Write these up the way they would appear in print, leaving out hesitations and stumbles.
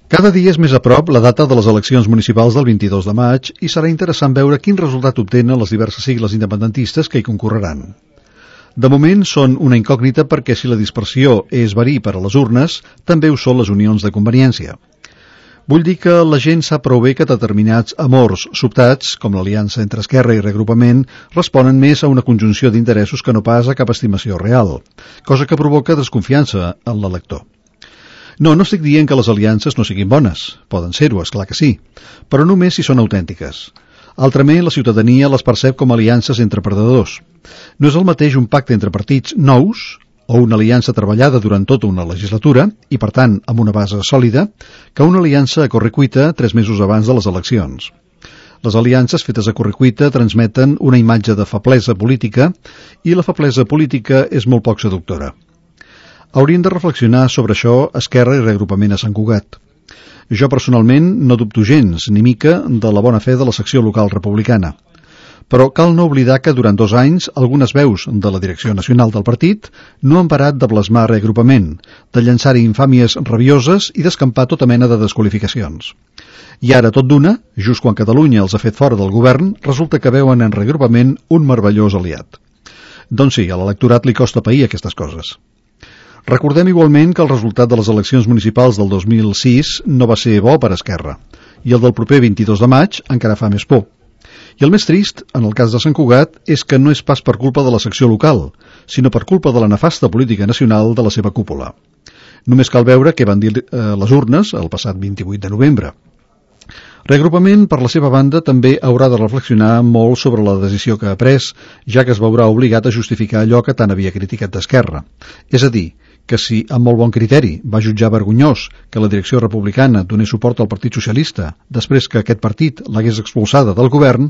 Cada dia és més a prop la data de les eleccions municipals del 22 de maig i serà interessant veure quin resultat obtenen les diverses sigles independentistes que hi concorreran. De moment són una incògnita perquè si la dispersió és verí per a les urnes, també ho són les unions de conveniència. Vull dir que la gent sap prou bé que determinats amors sobtats, com l'aliança entre Esquerra i Reagrupament, responen més a una conjunció d'interessos que no pas a cap estimació real, cosa que provoca desconfiança en l'elector. No estic dient que les aliances no siguin bones. Poden ser-ho, és clar que sí, però només si són autèntiques. Altrament, la ciutadania les percep com aliances entre perdedors. No és el mateix un pacte entre partits nous o una aliança treballada durant tota una legislatura i, per tant, amb una base sòlida, que una aliança a correcuita 3 mesos abans de les eleccions. Les aliances fetes a correcuita transmeten una imatge de feblesa política i la feblesa política és molt poc seductora. Haurien de reflexionar sobre això Esquerra i Reagrupament a Sant Cugat. Jo personalment no dubto gens, ni mica, de la bona fe de la secció local republicana. Però cal no oblidar que durant 2 anys algunes veus de la direcció nacional del partit no han parat de blasmar Reagrupament, de llançar-hi infàmies rabioses i d'escampar tota mena de desqualificacions. I ara, tot d'una, just quan Catalunya els ha fet fora del govern, resulta que veuen en Reagrupament un meravellós aliat. Doncs sí, a l'electorat li costa pair aquestes coses. Recordem igualment que el resultat de les eleccions municipals del 2006 no va ser bo per Esquerra, i el del proper 22 de maig encara fa més por. I el més trist, en el cas de Sant Cugat, és que no és pas per culpa de la secció local, sinó per culpa de la nefasta política nacional de la seva cúpula. Només cal veure què van dir les urnes el passat 28 de novembre. Reagrupament, per la seva banda, també haurà de reflexionar molt sobre la decisió que ha pres, ja que es veurà obligat a justificar allò que tant havia criticat d'Esquerra. És a dir, que si, amb molt bon criteri, va jutjar vergonyós que la direcció republicana donés suport al Partit Socialista després que aquest partit l'hagués expulsada del govern,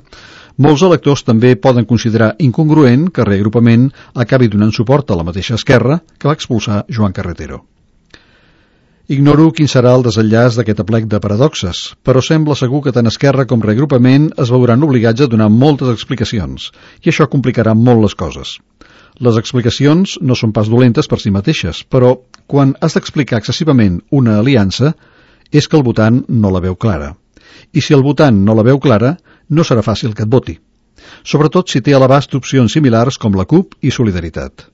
molts electors també poden considerar incongruent que Reagrupament acabi donant suport a la mateixa Esquerra que va expulsar Joan Carretero. Ignoro quin serà el desenllaç d'aquest aplec de paradoxes, però sembla segur que tant Esquerra com Reagrupament es veuran obligats a donar moltes explicacions, i això complicarà molt les coses. Les explicacions no són pas dolentes per si mateixes, però quan has d'explicar excessivament una aliança és que el votant no la veu clara. I si el votant no la veu clara, no serà fàcil que et voti. Sobretot si té a l'abast opcions similars com la CUP i Solidaritat.